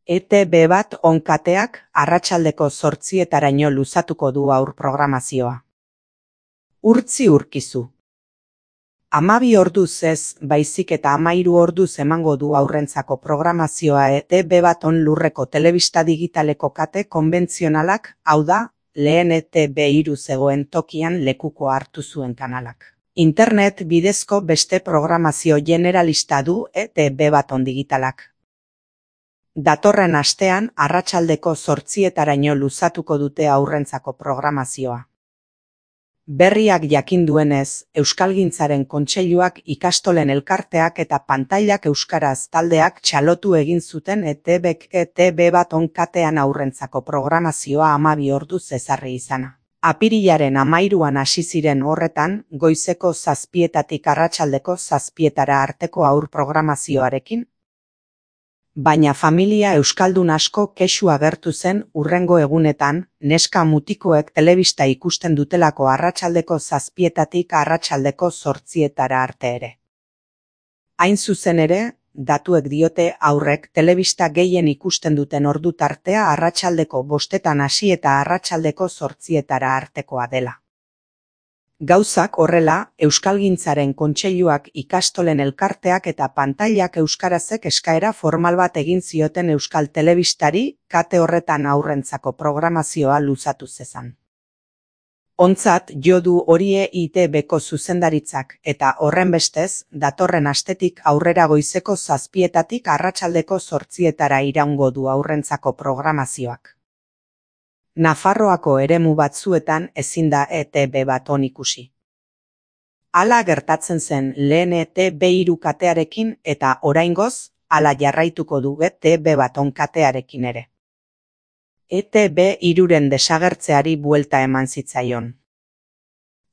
ETB bat onkateak arratsaldeko 8:00 luzatuko du aur programazioa. Urtzi urkizu. 12 orduz ez, baizik eta 13 orduz emango du aurrentzako programazioa ETB bat on lurreko telebista digitaleko kate konbentzionalak, hau da, lehen ETB3 zegoen tokian lekuko hartu zuen kanalak. Internet bidezko beste programazio generalista du ETB bat on digitalak. Datorren astean arratsaldeko 8:00 luzatuko dute aurrentzako programazioa. Berriak jakin duenez, Euskalgintzaren Kontseiluak, ikastolen elkarteak eta pantailak euskaraz taldeak txalotu egin zuten ETBk ETB bat on katean aurrentzako programazioa 12 orduz ezarri izana. Apirilaren 13an hasi ziren horretan, goizeko 7:00 arratsaldeko 7:00 arteko aur programazioarekin. Baina familia euskaldun asko kexu agertu zen hurrengo egunetan, neska mutikoek telebista ikusten dutelako arratsaldeko 7:00 arratsaldeko 8:00 arte ere. Hain zuzen ere, datuek diote haurrek telebista gehien ikusten duten ordu tartea arratsaldeko 5:00 hasi eta arratsaldeko 8:00 artekoa dela. Gauzak horrela, Euskalgintzaren Kontseiluak, ikastolen elkarteak eta pantailak euskarazek eskaera formal bat egin zioten euskal telebistari, kate horretan aurrentzako programazioa luzatu zezan. Ontzat jo du hori EITBko zuzendaritzak eta horrenbestez, datorren astetik aurrera goizeko 7:00 arratsaldeko 8:00 iraungo du aurrentzako programazioak. Nafarroako eremu batzuetan ezin da ETB bat on ikusi. Hala gertatzen zen lehen ETB3 katearekin eta oraingoz, hala jarraituko du ETB bat on katearekin ere. ETB3ren desagertzeari buelta eman zitzaion.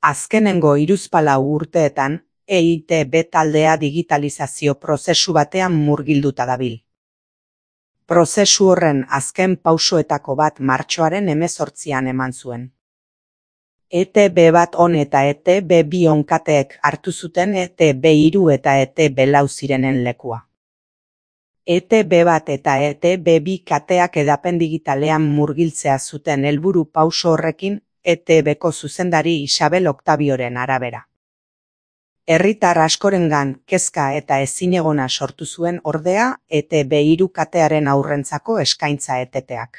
Azkenengo 34 urteetan, EITB taldea digitalizazio prozesu batean murgilduta dabil. Prozesu horren azken pausoetako bat martxoaren 18an eman zuen. ETB bat on eta ETB2 on kateek hartu zuten ETB3 eta ETB4 zirenen lekua. ETB bat eta ETB2 kateak edapen digitalean murgiltzea zuten helburu pauso horrekin ETBko zuzendari Isabel Octavioren arabera. Herritar askorengan kezka eta ezinegona sortu zuen ordea ETB3 katearen aurrentzako eskaintza eteteak.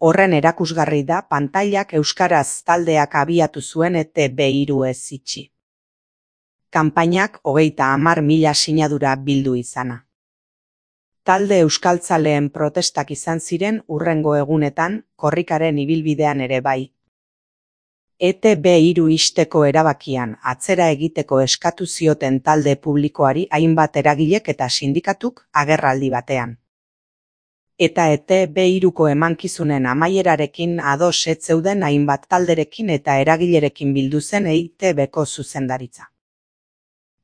Horren erakusgarri da pantailak euskaraz taldeak abiatu zuen ETB3 ez itxi. Kanpainak 30.000 sinadura bildu izana. Talde euskaltzaleen protestak izan ziren hurrengo egunetan, korrikaren ibilbidean ere bai. ETB3 ixteko erabakian atzera egiteko eskatu zioten talde publikoari hainbat eragilek eta sindikatuk agerraldi batean. Eta ETB3ko emankizunen amaierarekin ados ez zeuden hainbat talderekin eta eragilerekin bildu zen EITBko zuzendaritza.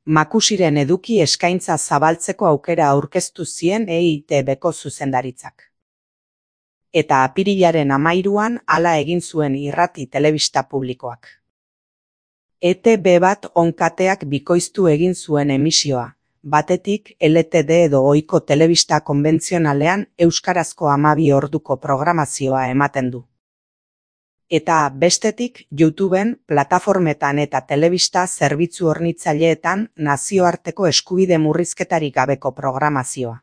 Makusiren eduki eskaintza zabaltzeko aukera aurkeztu zien EITBko zuzendaritzak. Eta apirilaren 13an hala egin zuen irrati telebista publikoak. ETB bat on kateak bikoiztu egin zuen emisioa, batetik LTD edo ohiko telebista konbentzionalean euskarazko 12 orduko programazioa ematen du. Eta bestetik YouTubeen, plataformetan eta telebista zerbitzu hornitzaileetan nazioarteko eskubide murrizketarik gabeko programazioa.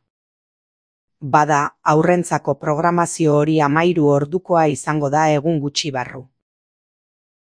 Bada, aurrentzako programazio hori 13 ordukoa izango da egun gutxi barru.